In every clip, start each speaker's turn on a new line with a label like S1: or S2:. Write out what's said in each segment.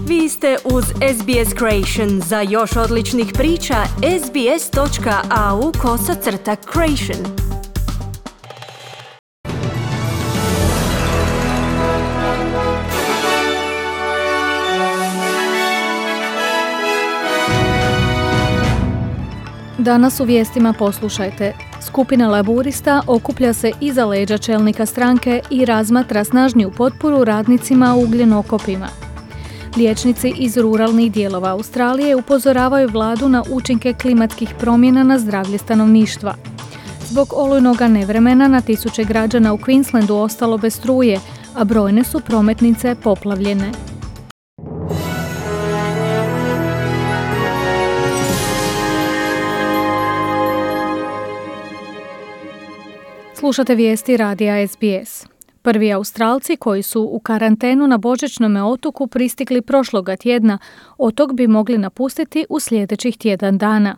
S1: Vi ste uz SBS Creation. Za još odličnih priča, sbs.au/creation.
S2: Danas u vijestima poslušajte. Skupina laburista okuplja se iza leđa čelnika stranke i razmatra snažniju potporu radnicima u ugljenokopima. Liječnici iz ruralnih dijelova Australije upozoravaju vladu na učinke klimatskih promjena na zdravlje stanovništva. Zbog olujnoga nevremena na tisuće građana u Queenslandu ostalo bez struje, a brojne su prometnice poplavljene. Slušate vijesti radija SBS. Prvi Australci koji su u karantenu na Božićnome otoku pristigli prošloga tjedna, otok bi mogli napustiti u sljedećih tjedan dana.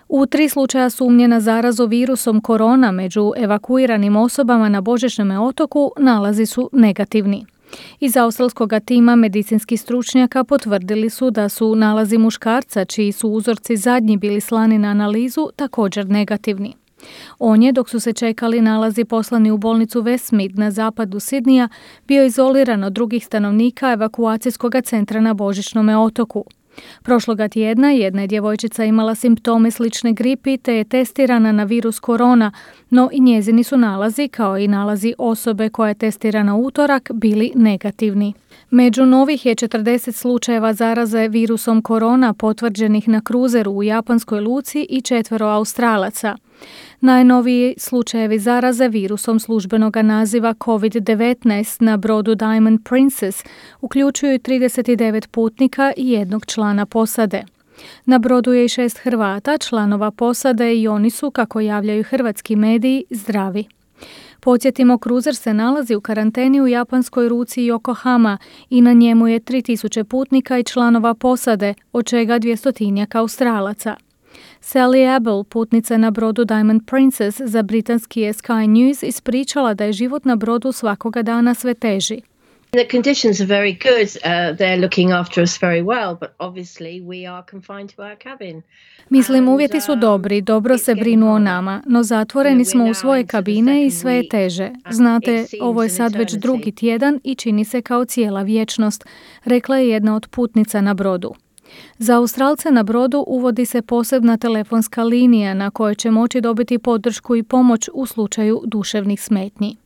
S2: U 3 slučaja sumnje na zarazu virusom korona među evakuiranim osobama na Božićnome otoku nalazi su negativni. Iz australskog tima medicinskih stručnjaka potvrdili su da su nalazi muškarca, čiji su uzorci zadnji bili slani na analizu, također negativni. On je, dok su se čekali nalazi poslani u bolnicu Westmead na zapadu Sidneya, bio izoliran od drugih stanovnika evakuacijskog centra na Božićnome otoku. Prošloga tjedna jedna je djevojčica imala simptome slične gripi te je testirana na virus korona, no i njezini su nalazi, kao i nalazi osobe koja je testirana u utorak, bili negativni. Među novih je 40 slučajeva zaraze virusom korona potvrđenih na kruzeru u japanskoj luci i 4 Australaca. Najnoviji slučajevi zaraze virusom službenoga naziva COVID-19 na brodu Diamond Princess uključuju 39 putnika i 1 člana posade. Na brodu je i 6 Hrvata, članova posade, i oni su, kako javljaju hrvatski mediji, zdravi. Podsjetimo, kruzer se nalazi u karanteni u japanskoj luci Yokohama i na njemu je 3000 putnika i članova posade, od čega 200 Australaca. Sally Abel, putnica na brodu Diamond Princess, za britanski je Sky News ispričala da je život na brodu svakoga dana sve teži.
S3: The conditions are very good. They're looking after us very well, but obviously we are confined to our cabin.
S2: Mislim, uvjeti su dobri, dobro se brinu o nama, no zatvoreni smo u svoje kabine i sve je teže. Znate, ovo je sad već 2. tjedan i čini se kao cijela vječnost, rekla je jedna od putnica na brodu. Za Australce na brodu uvodi se posebna telefonska linija na kojoj će moći dobiti podršku i pomoć u slučaju duševnih smetnji.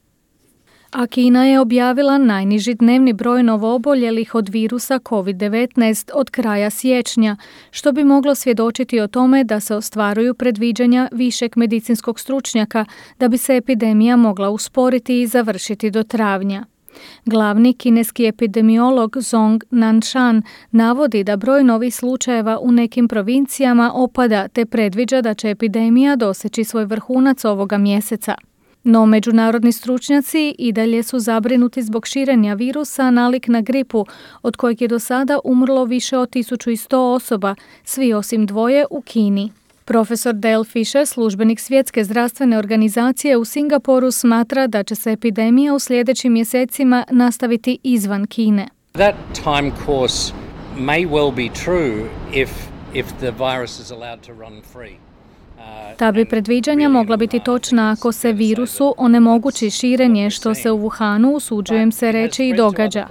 S2: A Kina je objavila najniži dnevni broj novooboljelih od virusa COVID-19 od kraja siječnja, što bi moglo svjedočiti o tome da se ostvaruju predviđanja višeg medicinskog stručnjaka da bi se epidemija mogla usporiti i završiti do travnja. Glavni kineski epidemiolog Zhong Nanshan navodi da broj novih slučajeva u nekim provincijama opada te predviđa da će epidemija doseći svoj vrhunac ovoga mjeseca. No međunarodni stručnjaci i dalje su zabrinuti zbog širenja virusa nalik na gripu, od kojeg je do sada umrlo više od 1100 osoba, svi osim 2 u Kini. Profesor Dale Fisher, službenik Svjetske zdravstvene organizacije u Singapuru, smatra da će se epidemija u sljedećim mjesecima nastaviti izvan Kine.
S4: That time course may well be true if the virus is allowed to run free.
S2: Ta bi predviđanja mogla biti točna ako se virusu onemogući širenje, što se u Wuhanu, usuđujem se reći, i događa.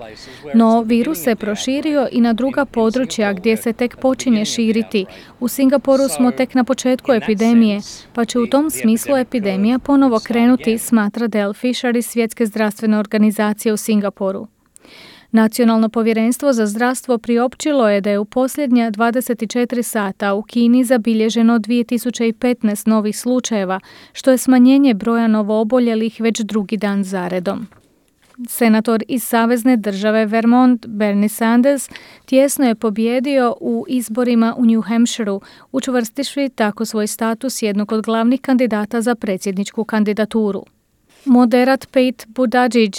S2: No, virus se proširio i na druga područja gdje se tek počinje širiti. U Singapuru smo tek na početku epidemije, pa će u tom smislu epidemija ponovo krenuti, smatra Dale Fisher iz Svjetske zdravstvene organizacije u Singapuru. Nacionalno povjerenstvo za zdravstvo priopćilo je da je u posljednja 24 sata u Kini zabilježeno 2015 novih slučajeva, što je smanjenje broja novooboljelih već 2. dan zaredom. Senator iz savezne države Vermont, Bernie Sanders, tjesno je pobijedio u izborima u New Hampshireu, učvrstivši tako svoj status jednog od glavnih kandidata za predsjedničku kandidaturu. Moderat Pete Buttigieg,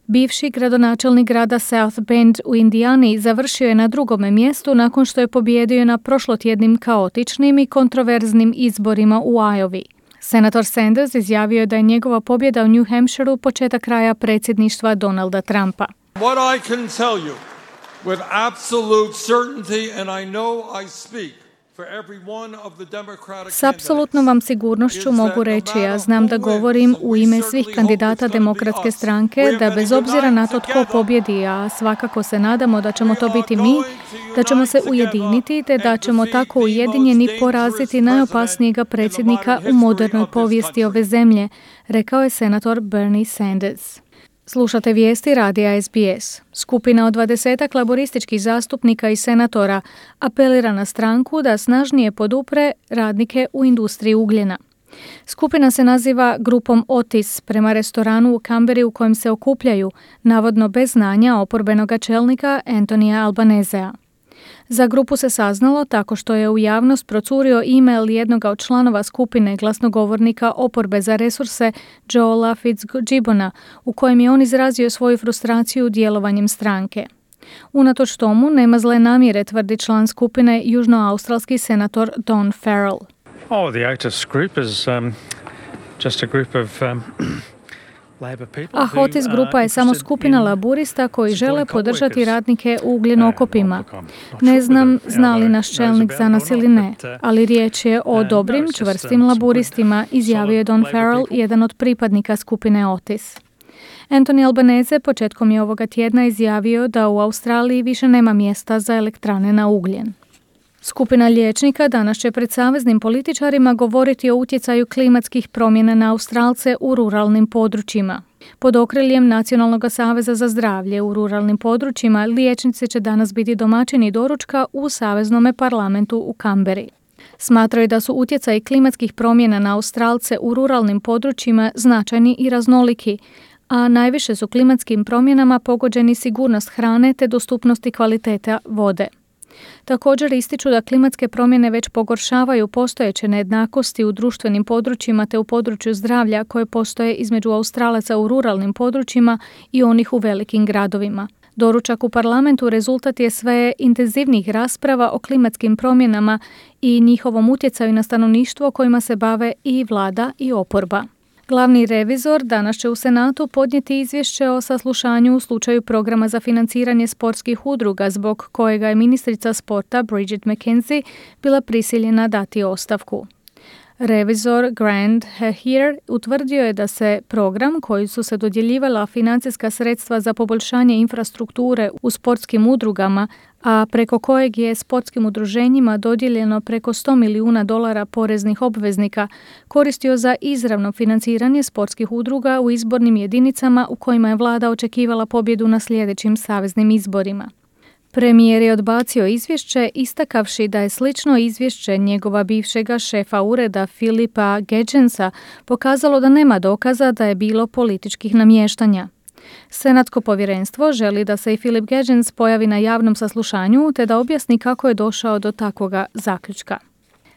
S2: bivši gradonačelnik grada South Bend u Indijani, završio je na 2. mjestu nakon što je pobijedio na prošlotjednim kaotičnim i kontroverznim izborima u Iowi. Senator Sanders izjavio je da je njegova pobjeda u New Hampshireu početak kraja predsjedništva Donalda Trumpa.
S5: What I can tell you with absolute certainty, and I know I speak for every one of the Democratic
S2: S apsolutnom vam sigurnošću mogu reći, ja znam da govorim u ime svih kandidata Demokratske stranke, da bez obzira na to tko pobjedi, a svakako se nadamo da ćemo to biti mi, da ćemo se ujediniti te da ćemo tako ujedinjeni poraziti najopasnijega predsjednika u modernoj povijesti ove zemlje, rekao je senator Bernie Sanders. Slušate vijesti radija SBS. Skupina od 20 laborističkih zastupnika i senatora apelira na stranku da snažnije podupre radnike u industriji ugljena. Skupina se naziva grupom Otis prema restoranu u Canberri u kojem se okupljaju, navodno bez znanja oporbenog čelnika Antonija Albanezea. Za grupu se saznalo tako što je u javnost procurio e-mail jednoga od članova skupine glasnogovornika oporbe za resurse Joela Fitzgibbona, u kojem je on izrazio svoju frustraciju djelovanjem stranke. Unatoč tomu nema zle namjere, tvrdi član skupine južnoaustralski senator Don Farrell.
S6: The Otis group is just a group of
S2: Otis grupa je samo skupina laburista koji žele podržati radnike u ugljenokopima. Ne znam zna li naš čelnik za nas ili ne, ali riječ je o dobrim, čvrstim laburistima, izjavio je Don Farrell, jedan od pripadnika skupine Otis. Anthony Albanese početkom je ovoga tjedna izjavio da u Australiji više nema mjesta za elektrane na ugljen. Skupina liječnika danas će pred saveznim političarima govoriti o utjecaju klimatskih promjena na Australce u ruralnim područjima. Pod okriljem Nacionalnog saveza za zdravlje u ruralnim područjima liječnici će danas biti domaćini doručka u Saveznome parlamentu u Canberri. Smatraju da su utjecaji klimatskih promjena na Australce u ruralnim područjima značajni i raznoliki, a najviše su klimatskim promjenama pogođeni sigurnost hrane te dostupnost i kvaliteta vode. Također ističu da klimatske promjene već pogoršavaju postojeće nejednakosti u društvenim područjima te u području zdravlja koje postoje između Australaca u ruralnim područjima i onih u velikim gradovima. Doručak u parlamentu rezultat je sve intenzivnijih rasprava o klimatskim promjenama i njihovom utjecaju na stanovništvo kojima se bave i vlada i oporba. Glavni revizor danas će u Senatu podnijeti izvješće o saslušanju u slučaju programa za financiranje sportskih udruga zbog kojega je ministrica sporta Bridget McKenzie bila prisiljena dati ostavku. Revizor Grant Heer utvrdio je da se program koji su se dodjeljivala financijska sredstva za poboljšanje infrastrukture u sportskim udrugama, a preko kojeg je sportskim udruženjima dodijeljeno preko $100 milijuna poreznih obveznika, koristio za izravno financiranje sportskih udruga u izbornim jedinicama u kojima je vlada očekivala pobjedu na sljedećim saveznim izborima. Premijer je odbacio izvješće istakavši da je slično izvješće njegova bivšega šefa ureda Philipa Gedgensa pokazalo da nema dokaza da je bilo političkih namještanja. Senatsko povjerenstvo želi da se i Philip Gedgens pojavi na javnom saslušanju te da objasni kako je došao do takvoga zaključka.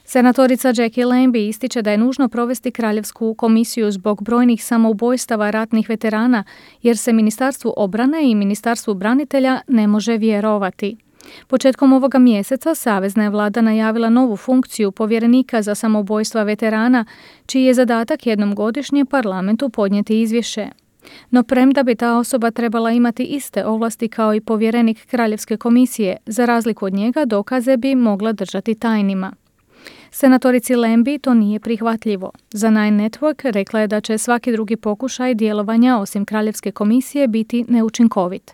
S2: Senatorica Jackie Lambie ističe da je nužno provesti kraljevsku komisiju zbog brojnih samoubojstava ratnih veterana jer se Ministarstvu obrane i Ministarstvu branitelja ne može vjerovati. Početkom ovoga mjeseca savezna je vlada najavila novu funkciju povjerenika za samoubojstva veterana, čiji je zadatak jednom godišnje parlamentu podnijeti izvješće. No premda bi ta osoba trebala imati iste ovlasti kao i povjerenik kraljevske komisije, za razliku od njega dokaze bi mogla držati tajnima. Senatorici Lambie to nije prihvatljivo. Za Nine Network rekla je da će svaki drugi pokušaj djelovanja osim kraljevske komisije biti neučinkovit.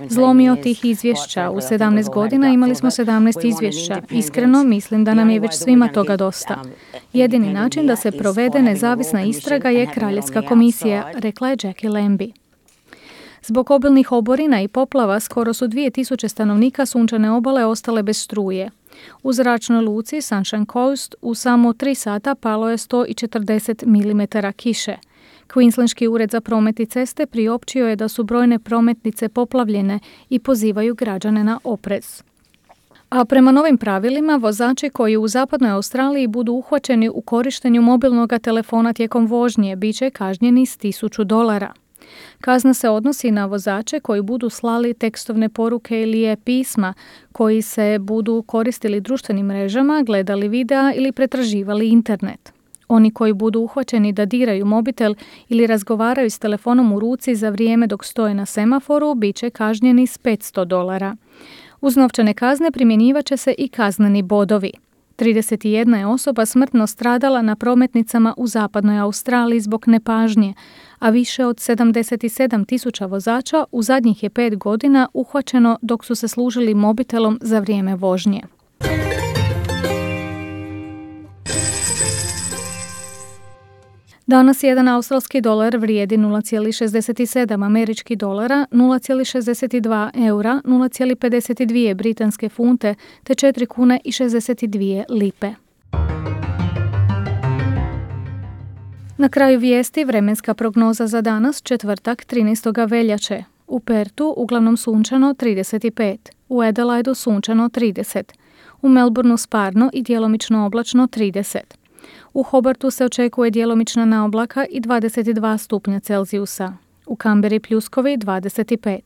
S2: Zlomio tih izvješća. U 17 godina imali smo 17 izvješća. Iskreno mislim da nam je već svima toga dosta. Jedini način da se provede nezavisna istraga je kraljevska komisija, rekla je Jackie Lambie. Zbog obilnih oborina i poplava skoro su 2000 stanovnika Sunčane obale ostale bez struje. U zračnoj luci Sunshine Coast u samo 3 sata palo je 140 mm kiše. Queenslandski ured za promet i ceste priopćio je da su brojne prometnice poplavljene i pozivaju građane na oprez. A prema novim pravilima, vozači koji u zapadnoj Australiji budu uhvaćeni u korištenju mobilnog telefona tijekom vožnje bit će kažnjeni s $1000. Kazna se odnosi na vozače koji budu slali tekstovne poruke ili pisma, koji se budu koristili društvenim mrežama, gledali videa ili pretraživali internet. Oni koji budu uhvaćeni da diraju mobitel ili razgovaraju s telefonom u ruci za vrijeme dok stoje na semaforu bit će kažnjeni s $500. Uz novčane kazne primjenjivat će se i kazneni bodovi. 31 je osoba smrtno stradala na prometnicama u zapadnoj Australiji zbog nepažnje, a više od 77,000 vozača u zadnjih je 5 godina uhvaćeno dok su se služili mobitelom za vrijeme vožnje. Danas jedan australski dolar vrijedi 0,67 američkih dolara, 0,62 eura, 0,52 britanske funte te 4 kune i 62 lipe. Na kraju vijesti vremenska prognoza za danas, četvrtak 13. veljače. U Pertu uglavnom sunčano 35, u Adelaidu sunčano 30, u Melbourneu sparno i djelomično oblačno 30. U Hobartu se očekuje djelomična naoblaka i 22 stupnja Celzijusa. U Kamberi pljuskovi 25.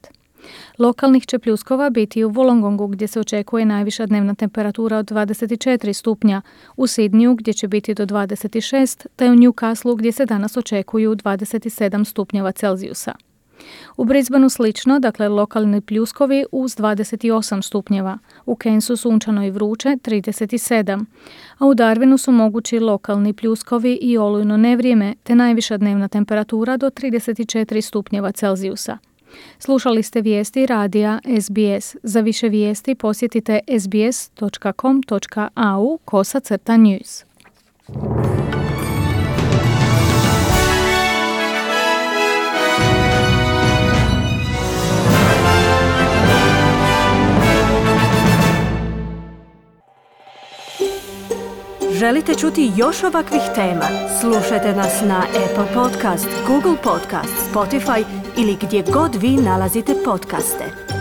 S2: Lokalnih će pljuskova biti u Wollongongu gdje se očekuje najviša dnevna temperatura od 24 stupnja, u Sidniju gdje će biti do 26, te u Newcastleu gdje se danas očekuju 27 stupnjeva Celzijusa. U Brisbaneu slično, dakle lokalni pljuskovi uz 28 stupnjeva, u Cairnsu sunčano i vruće 37, a u Darwinu su mogući lokalni pljuskovi i olujno nevrijeme te najviša dnevna temperatura do 34 stupnjeva Celzijusa. Slušali ste vijesti radija SBS. Za više vijesti posjetite sbs.com.au/news.
S1: Želite čuti još ovakvih tema? Slušajte nas na Apple Podcast, Google Podcast, Spotify ili gdje god vi nalazite podcaste.